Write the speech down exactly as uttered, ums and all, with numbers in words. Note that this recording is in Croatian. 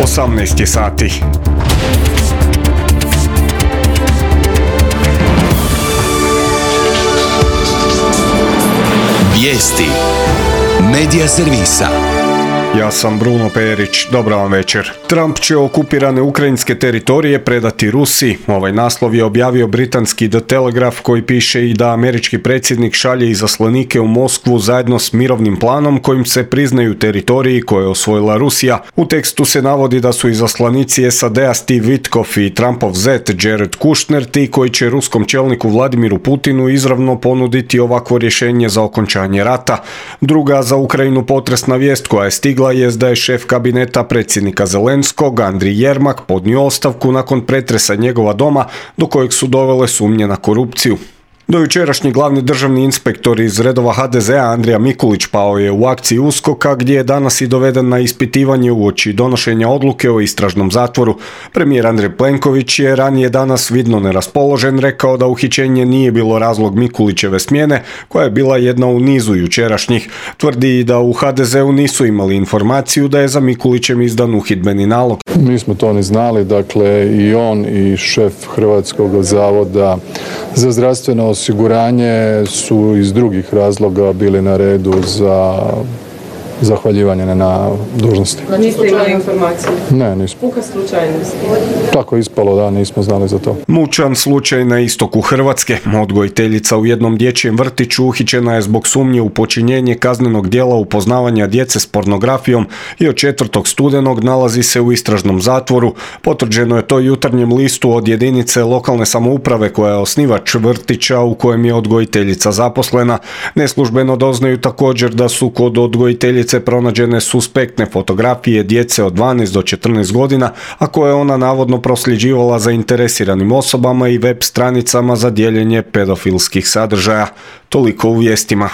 osamnaest je sati. Vijesti Medija servisa. Ja sam Bruno Perić, dobar vam večer. Trump će okupirane ukrajinske teritorije predati Rusiji. Ovaj naslov je objavio britanski The Telegraph, koji piše i da američki predsjednik šalje izaslanike u Moskvu zajedno s mirovnim planom kojim se priznaju teritoriji koje je osvojila Rusija. U tekstu se navodi da su izaslanici S A D-a Steve Witkoff i Trumpov zet Jared Kushner ti koji će ruskom čelniku Vladimiru Putinu izravno ponuditi ovakvo rješenje za okončanje rata. Druga za Ukrajinu potresna vijest koja je stigla jest da je šef kabineta predsjednika Zelenskog, Andrij Jermak, podnio ostavku nakon pretresa njegova doma do kojeg su dovele sumnje na korupciju. Dojučerašnji glavni državni inspektor iz redova H D Z-a Andrija Mikulić pao je u akciji USKOK-a, gdje je danas i doveden na ispitivanje uoči donošenja odluke o istražnom zatvoru. Premijer Andrej Plenković je ranije danas vidno neraspoložen rekao da uhićenje nije bilo razlog Mikulićeve smjene, koja je bila jedna u nizu jučerašnjih. Tvrdi i da u H D Z-u nisu imali informaciju da je za Mikulićem izdan uhidbeni nalog. Mi smo to ne znali, dakle i on i šef Hrvatskog zavoda za zdravstveno osiguranje su iz drugih razloga bili na redu za zahvaljivanje na dužnosti. Niste imali informaciju? Ne, nismo. Puka slučajnost? Tako je ispalo, da, nismo znali za to. Mučan slučaj na istoku Hrvatske. Odgojiteljica u jednom dječjem vrtiću uhićena je zbog sumnje u počinjenje kaznenog djela upoznavanja djece s pornografijom i od četvrtog studenog nalazi se u istražnom zatvoru. Potvrđeno je to Jutarnjem listu od jedinice lokalne samouprave koja je osnivač vrtića u kojem je odgojiteljica zaposlena. Neslužbeno doznaju također da su kod odgojiteljice pronađene suspektne fotografije djece od dvanaest do četrnaest godina, a koje je ona navodno prosljeđivala zainteresiranim osobama i web stranicama za dijeljenje pedofilskih sadržaja. Toliko u vijestima.